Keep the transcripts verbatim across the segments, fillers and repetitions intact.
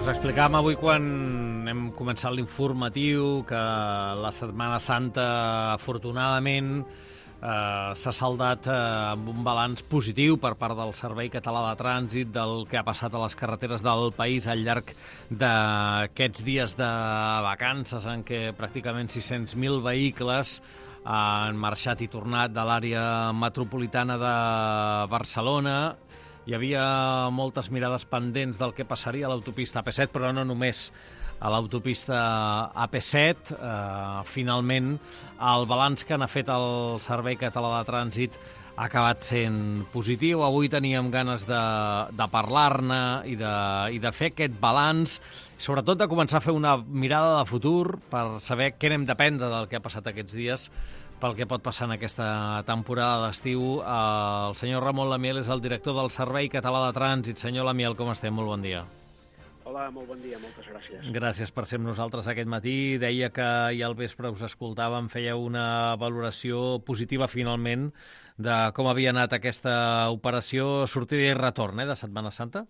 Us explicàvem avui quan hem començat l'informatiu que la Setmana Santa, afortunadament, eh, s'ha saldat eh, amb un balanç positiu per part del Servei Català de Trànsit del que ha passat a les carreteres del país al llarg d'aquests dies de vacances en què pràcticament sis-cents mil vehicles han marxat i tornat de l'àrea metropolitana de Barcelona. Hi havia moltes mirades pendents del que passaria a l'autopista A P set, però no només a l'autopista A P set. Eh, finalment, el balanç que n'ha fet el Servei Català de Trànsit ha acabat sent positiu. Avui teníem ganes de, de parlar-ne i de, i de fer aquest balanç, sobretot de començar a fer una mirada de futur per saber què n'hem d'aprendre del que ha passat aquests dies pel que pot passar en aquesta temporada d'estiu. El senyor Ramon Lamiel és el director del Servei Català de Trànsit. Senyor Lamiel, com estem? Molt bon dia. Hola, molt bon dia, moltes gràcies. Gràcies per ser amb nosaltres aquest matí. Deia que ja al vespre us escoltàvem, fèieu una valoració positiva finalment de com havia anat aquesta operació sortida i retorn eh, de Setmana Santa?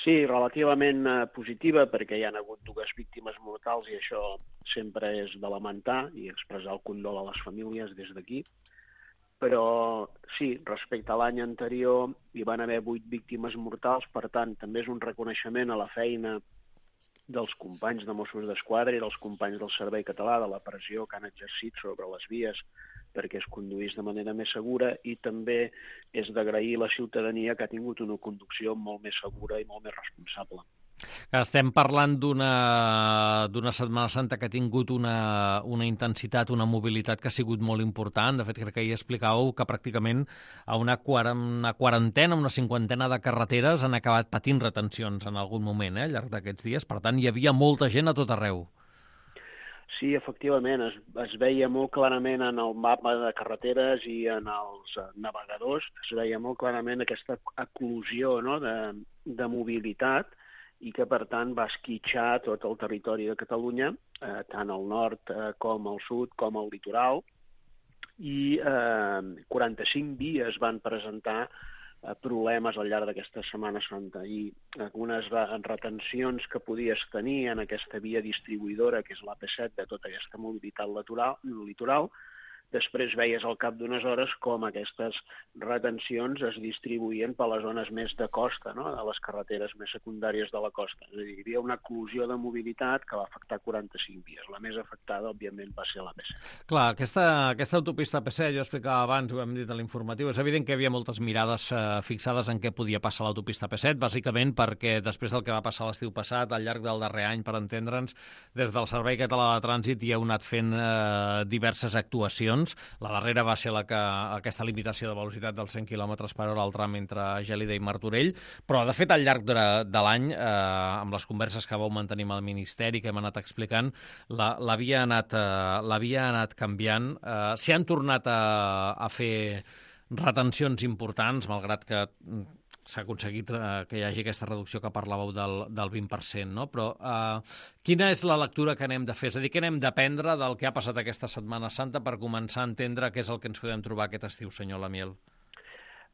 Sí, relativament eh, positiva, perquè hi ha hagut dues víctimes mortals i això sempre és de lamentar i expressar el condol a les famílies des d'aquí. Però sí, respecte a l'any anterior hi van haver vuit víctimes mortals, per tant, també és un reconeixement a la feina dels companys de Mossos d'Esquadra i dels companys del Servei Català, de la pressió que han exercit sobre les vies perquè es conduís de manera més segura, i també és d'agrair a la ciutadania que ha tingut una conducció molt més segura i molt més responsable. Estem parlant d'una d'una Setmana Santa que ha tingut una, una intensitat, una mobilitat que ha sigut molt important. De fet, crec que hi explicàveu que pràcticament a una, una quarantena, una cinquantena de carreteres han acabat patint retencions en algun moment eh, al llarg d'aquests dies. Per tant, hi havia molta gent a tot arreu. Sí, efectivament, es, es veia molt clarament en el mapa de carreteres i en els navegadors, es veia molt clarament aquesta eclosió no, de, de mobilitat i que, per tant, va esquitxar tot el territori de Catalunya, eh, tant al nord eh, com al sud, com al litoral, i eh, quaranta-cinc vies van presentar eh, problemes al litoral d'aquesta Setmana Santa, i algunes retencions que podies tenir en aquesta via distribuïdora, que és l'A P set, de tota aquesta mobilitat litoral, litoral, després veies al cap d'unes hores com aquestes retencions es distribuïen per les zones més de costa, no? De les carreteres més secundàries de la costa. És a dir, hi havia una eclosió de mobilitat que va afectar quaranta-cinc vies. La més afectada, òbviament, va ser l'A P set. Clar, aquesta, aquesta autopista A P set, jo explicava abans, ho hem dit a l'informatiu, és evident que hi havia moltes mirades eh, fixades en què podia passar l'autopista A P set, bàsicament perquè després del que va passar l'estiu passat, al llarg del darrer any, per entendre'ns, des del Servei Català de Trànsit hi heu anat fent eh, diverses actuacions. La darrera va ser la que, aquesta limitació de velocitat dels cent quilòmetres per hora al tram entre Gelida i Martorell, però de fet al llarg de, de l'any, eh, amb les converses que vau mantenir amb el Ministeri, que hem anat explicant, l'havia anat, eh, l'havia anat canviant. Eh, S'hi han tornat a, a fer retencions importants, malgrat que s'ha aconseguit eh, que hi hagi aquesta reducció que parlàveu del, del vint per cent, no? Però eh, quina és la lectura que n'hem de fer? És a dir, què n'hem d'aprendre del que ha passat aquesta Setmana Santa per començar a entendre què és el que ens podem trobar aquest estiu, senyor Lamiel?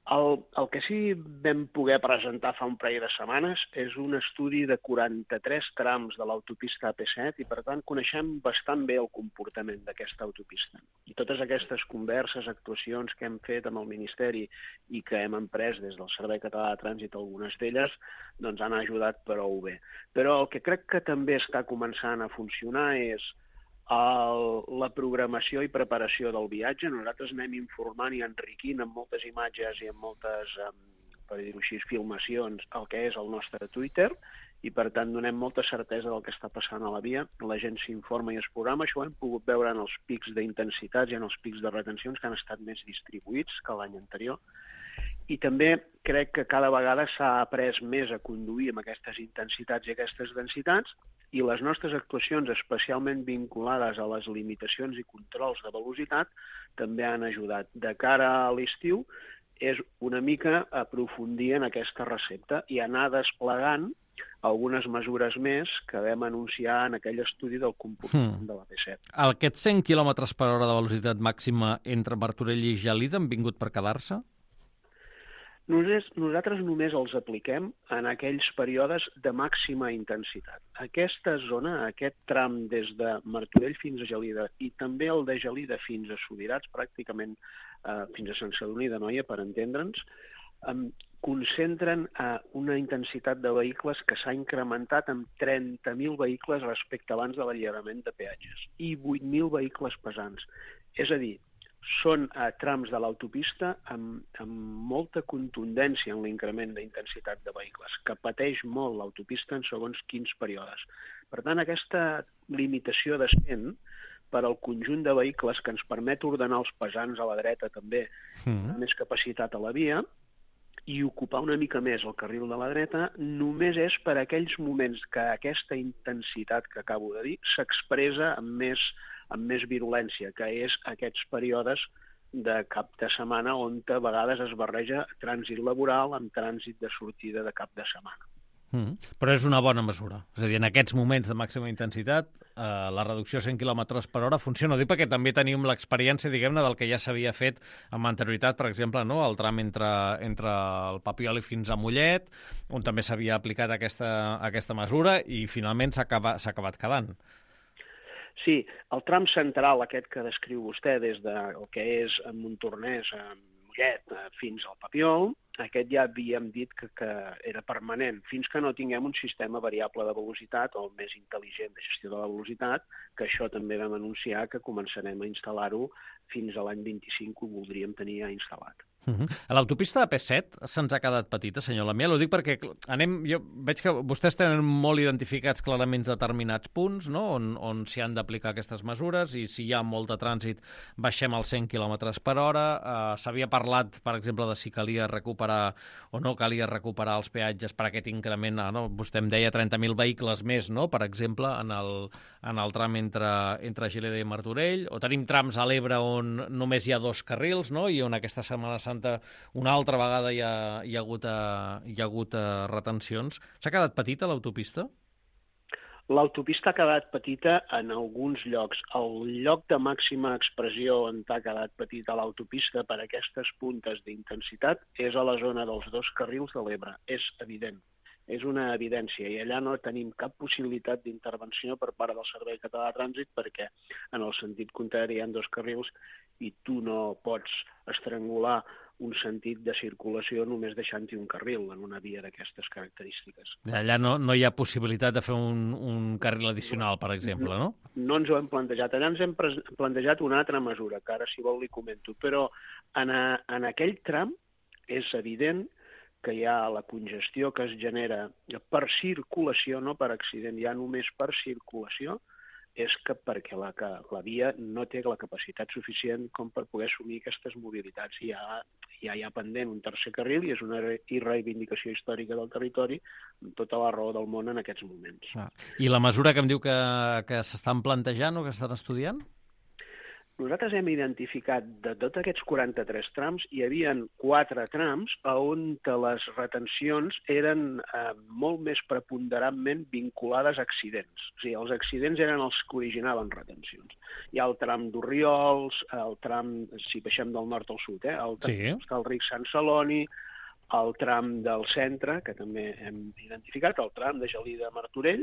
El, el que sí vam poder presentar fa un parell de setmanes és un estudi de quaranta-tres trams de l'autopista A P set i, per tant, coneixem bastant bé el comportament d'aquesta autopista. I totes aquestes converses, actuacions que hem fet amb el Ministeri i que hem emprès des del Servei Català de Trànsit, algunes d'elles, doncs han ajudat prou bé. Però el que crec que també està començant a funcionar és El, la programació i preparació del viatge. Nosaltres anem informant i enriquint amb moltes imatges i amb moltes, per dir-ho així, filmacions el que és el nostre Twitter i, per tant, donem molta certesa del que està passant a la via. La gent s'informa i es programa. Això ho hem pogut veure en els pics d'intensitats i en els pics de retencions que han estat més distribuïts que l'any anterior. I també crec que cada vegada s'ha après més a conduir amb aquestes intensitats i aquestes densitats, i les nostres actuacions, especialment vinculades a les limitacions i controls de velocitat, també han ajudat. De cara a l'estiu és una mica aprofundir en aquesta recepta i anar desplegant algunes mesures més que vam anunciar en aquell estudi del comportament hmm. de l'A P set. Aquests cent quilòmetres per hora de velocitat màxima entre Martorell i Gelida han vingut per quedar-se? Nosaltres, nosaltres només els apliquem en aquells períodes de màxima intensitat. Aquesta zona, aquest tram des de Martorell fins a Gelida i també el de Gelida fins a Subirats, pràcticament eh, fins a Sant Sadurní d'Anoia, per entendre'ns, eh, concentren eh, una intensitat de vehicles que s'ha incrementat amb trenta mil vehicles respecte abans de l'alliberament de peatges i vuit mil vehicles pesants. És a dir, són a trams de l'autopista amb, amb molta contundència en l'increment d'intensitat de vehicles, que pateix molt l'autopista en segons quins períodes. Per tant, aquesta limitació de cent per al conjunt de vehicles que ens permet ordenar els pesants a la dreta també, mm. més capacitat a la via, i ocupar una mica més el carril de la dreta, només és per aquells moments que aquesta intensitat que acabo de dir s'expressa amb més amb més virulència, que és aquests períodes de cap de setmana on a vegades es barreja trànsit laboral amb trànsit de sortida de cap de setmana. Mm, però és una bona mesura. És a dir, en aquests moments de màxima intensitat, eh, la reducció a cent quilòmetres per hora funciona. Ho dic perquè també tenim l'experiència, diguem-ne, del que ja s'havia fet amb anterioritat, per exemple, no? El tram entre, entre el Papiol i fins a Mollet, on també s'havia aplicat aquesta, aquesta mesura i finalment s'ha acabat, s'ha acabat quedant. Sí, el tram central aquest que descriu vostè des del que és Montornès, Mollet, fins al Papiol, aquest ja havíem dit que, que era permanent, fins que no tinguem un sistema variable de velocitat o més intel·ligent de gestió de la velocitat, que això també vam anunciar que començarem a instal·lar-ho fins a l'any vint-i-cinc, ho voldríem tenir ja instal·lat. Uh-huh. A l'autopista de P set se'ns ha quedat petita, senyor Lamiel. Ho dic perquè anem, jo veig que vostès tenen molt identificats clarament determinats punts, no? on, on s'hi han d'aplicar aquestes mesures i si hi ha molt de trànsit baixem als cent quilòmetres per hora. Uh, S'havia parlat, per exemple, de si calia recuperar o no calia recuperar els peatges per aquest increment. Uh, no? Vostè em deia trenta mil vehicles més, no? Per exemple, en el, en el tram entre, entre Gelida i Martorell. O tenim trams a l'Ebre on només hi ha dos carrils, no? I on aquesta Setmana Santa una altra vegada hi ha, hi ha hagut, uh, hi ha hagut uh, retencions. S'ha quedat petita l'autopista? L'autopista ha quedat petita en alguns llocs. El lloc de màxima expressió on ha quedat petita l'autopista per aquestes puntes d'intensitat és a la zona dels dos carrils de l'Ebre. És evident. És una evidència i allà no tenim cap possibilitat d'intervenció per part del Servei Català de Trànsit perquè en el sentit contrari hi ha dos carrils i tu no pots estrangular un sentit de circulació només deixant-hi un carril en una via d'aquestes característiques. Allà no, no hi ha possibilitat de fer un, un carril addicional, per exemple, no? No, no ens ho hem plantejat. Allà ens hem plantejat una altra mesura, que ara si vol li comento, però en, a, en aquell tram és evident que hi ha la congestió que es genera per circulació, no per accident, ja només per circulació, és que perquè la, que la via no té la capacitat suficient com per poder assumir aquestes mobilitats. Hi ha, hi ha, hi ha pendent un tercer carril i és una reivindicació històrica del territori amb tota la raó del món en aquests moments. Ah. I la mesura que em diu que, que s'estan plantejant o que estan estudiant? Nosaltres hem identificat de tots aquests quaranta-tres trams, hi havia quatre trams on les retencions eren eh, molt més preponderantment vinculades a accidents. O sigui, els accidents eren els que originaven retencions. Hi ha el tram d'Orriols, el tram, si baixem del nord al sud, eh, el tram sí. d'Hostalric Sant Celoni, el tram del centre, que també hem identificat, el tram de Gelida Martorell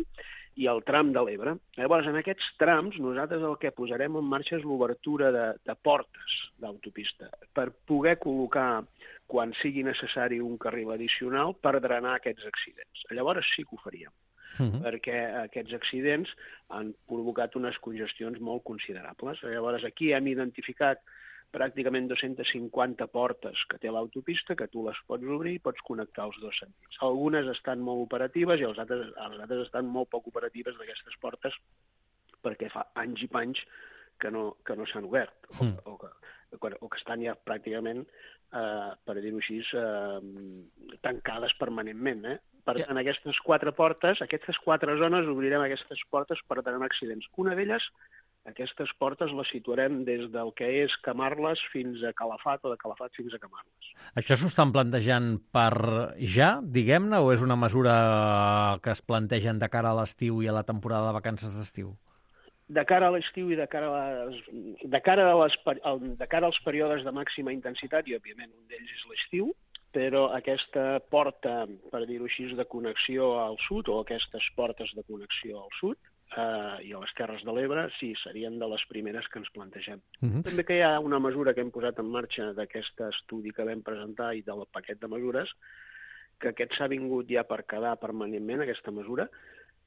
i el tram de l'Ebre. Llavors, en aquests trams, nosaltres el que posarem en marxa és l'obertura de, de portes d'autopista per poder col·locar, quan sigui necessari, un carril addicional per drenar aquests accidents. Llavors sí que ho faríem, uh-huh. perquè aquests accidents han provocat unes congestions molt considerables. Llavors, aquí hem identificat pràcticament dos-centes cinquanta portes que té l'autopista, que tu les pots obrir i pots connectar els dos sentits. Algunes estan molt operatives i les altres, les altres estan molt poc operatives d'aquestes portes perquè fa anys i panys que no, que no s'han obert o, mm. o, que, o que estan ja pràcticament, eh, per dir-ho així, eh, tancades permanentment. Eh? Per tant, aquestes quatre portes, aquestes quatre zones, obrirem aquestes portes per drenar accidents. Una d'elles, aquestes portes les situarem des del que és Camarles fins a Calafat o de Calafat fins a Camarles. Això s'ho estan plantejant per ja, diguem-ne, o és una mesura que es plantegen de cara a l'estiu i a la temporada de vacances d'estiu? De cara a l'estiu i de cara, a les, de, cara a les, de cara als períodes de màxima intensitat, i òbviament un d'ells és l'estiu, però aquesta porta, per dir-ho així, de connexió al sud, o aquestes portes de connexió al sud, eh, i a les Terres de l'Ebre, sí, serien de les primeres que ens plantegem. Uh-huh. També que hi ha una mesura que hem posat en marxa d'aquest estudi que vam presentar i del paquet de mesures, que aquest s'ha vingut ja per quedar permanentment, aquesta mesura,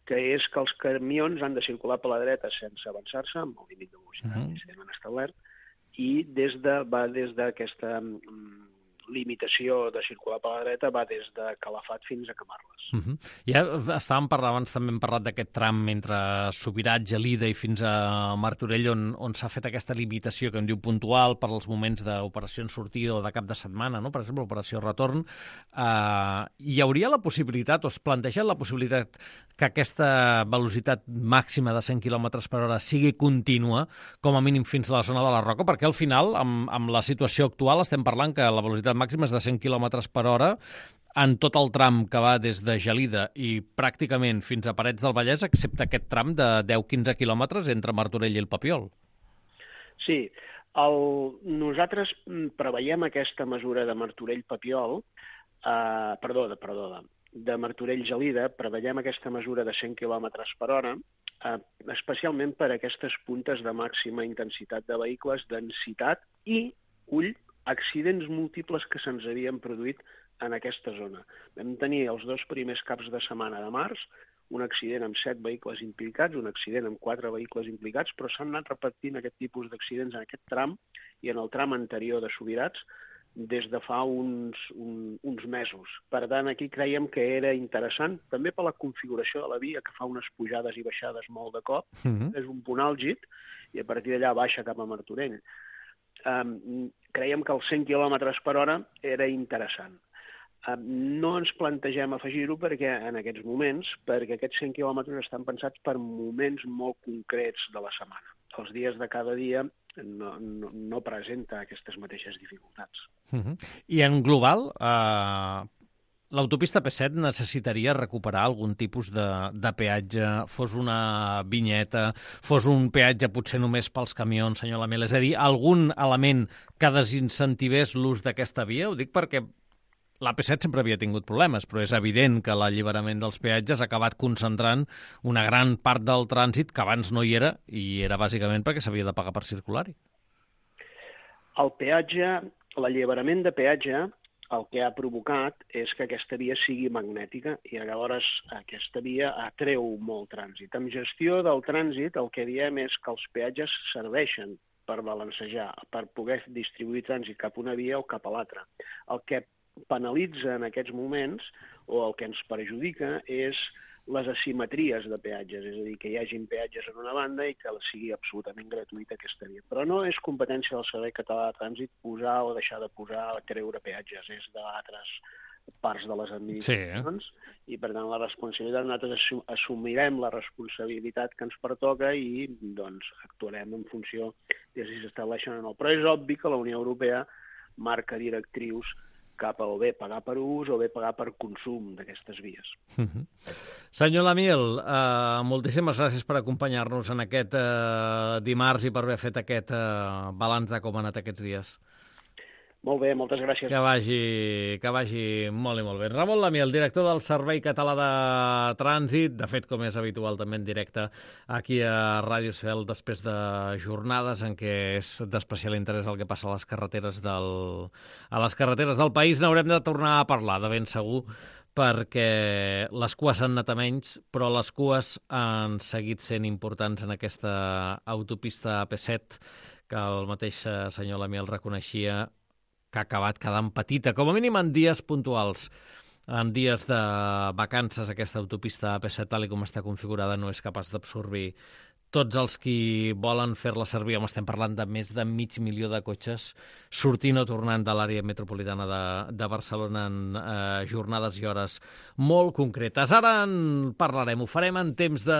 que és que els camions han de circular per la dreta sense avançar-se, amb el límit de velocitat uh-huh. que s'han establert, i des de, va des d'aquesta mm, limitació de circular per la dreta va des de Calafat fins a Camarles. Uh-huh. Ja estàvem parlant, abans també hem parlat d'aquest tram entre Subirats, Gelida i fins a Martorell, on, on s'ha fet aquesta limitació que em diu puntual per als moments d'operació en sortida o de cap de setmana, no? Per exemple, operació retorn. Uh, hi hauria la possibilitat, o es planteja la possibilitat que aquesta velocitat màxima de cent quilòmetres per hora sigui contínua, com a mínim fins a la zona de la Roca, perquè al final, amb, amb la situació actual, estem parlant que la velocitat màxima és de cent quilòmetres per hora en tot el tram que va des de Gelida i pràcticament fins a Parets del Vallès, excepte aquest tram de deu a quinze quilòmetres entre Martorell i el Papiol. Sí, el, nosaltres preveiem aquesta mesura de Martorell-Papiol, eh, perdó, de, perdó, de, de Martorell-Gelida, preveiem aquesta mesura de cent quilòmetres per hora, eh, especialment per aquestes puntes de màxima intensitat de vehicles, densitat i, ull, accidents múltiples que se'ns havien produït en aquesta zona. Vam tenir els dos primers caps de setmana de març, un accident amb set vehicles implicats, un accident amb quatre vehicles implicats, però s'han anat repetint aquest tipus d'accidents en aquest tram i en el tram anterior de Subirats des de fa uns, un, uns mesos. Per tant, aquí creiem que era interessant, també per la configuració de la via, que fa unes pujades i baixades molt de cop, mm-hmm. és un punt àlgid, i a partir d'allà baixa cap a Martorell. Um, creiem que els cent quilòmetres per hora era interessant. Um, no ens plantegem afegir-ho perquè en aquests moments, perquè aquests cent quilòmetres estan pensats per moments molt concrets de la setmana. Els dies de cada dia no, no, no presenta aquestes mateixes dificultats. Uh-huh. I en global, eh, l'autopista P set necessitaria recuperar algun tipus de, de peatge, fos una vinyeta, fos un peatge potser només pels camions, senyor Lamel, és a dir, algun element que desincentivés l'ús d'aquesta via? Ho dic perquè l'A P set sempre havia tingut problemes, però és evident que l'alliberament dels peatges ha acabat concentrant una gran part del trànsit que abans no hi era, i era bàsicament perquè s'havia de pagar per circular-hi. El peatge, l'alliberament de peatge, el que ha provocat és que aquesta via sigui magnètica i llavors aquesta via atreu molt trànsit. En gestió del trànsit el que diem és que els peatges serveixen per balancejar, per poder distribuir trànsit cap a una via o cap a l'altra. El que penalitza en aquests moments, o el que ens perjudica, és les asimetries de peatges, és a dir, que hi hagin peatges en una banda i que sigui absolutament gratuïta aquesta via. Però no és competència del Servei Català de Trànsit posar o deixar de posar o treure peatges, és d'altres parts de les administracions, sí, eh? I per tant la responsabilitat, nosaltres assumirem la responsabilitat que ens pertoca i doncs actuarem en funció de si s'estableixen o no. Però és obvi que la Unió Europea marca directrius cap a o bé pagar per ús o bé pagar per consum d'aquestes vies. Uh-huh. Senyor Lamiel, eh, moltíssimes gràcies per acompanyar-nos en aquest eh, dimarts i per haver fet aquest eh, balanç de com ha anat aquests dies. Molt bé, moltes gràcies. Que vagi, que vagi molt i molt bé. Ramon Lamiel, director del Servei Català de Trànsit, de fet, com és habitual, també en directe aquí a Ràdio Esfel, després de jornades en què és d'especial interès el que passa a les carreteres del, a les carreteres del país. N'haurem de tornar a parlar, de ben segur, perquè les cues han anat a menys, però les cues han seguit sent importants en aquesta autopista A P set, que el mateix senyor Lamiel reconeixia que ha acabat quedant petita, com a mínim en dies puntuals. En dies de vacances, aquesta autopista A P set, tal com està configurada, no és capaç d'absorbir tots els qui volen fer-la servir. Home, estem parlant de més de mig milió de cotxes sortint o tornant de l'àrea metropolitana de, de Barcelona en eh, jornades i hores molt concretes. Ara en parlarem, ho farem en temps de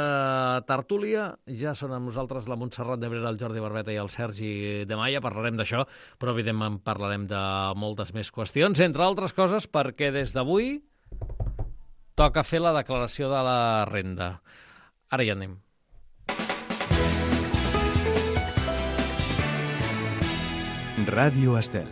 tertúlia. Ja són amb nosaltres la Montserrat Debrera, el Jordi Barbeta i el Sergi de Maia. Parlarem d'això, però evidentment parlarem de moltes més qüestions, entre altres coses perquè des d'avui toca fer la declaració de la renda. Ara hi anem. Ràdio Estel.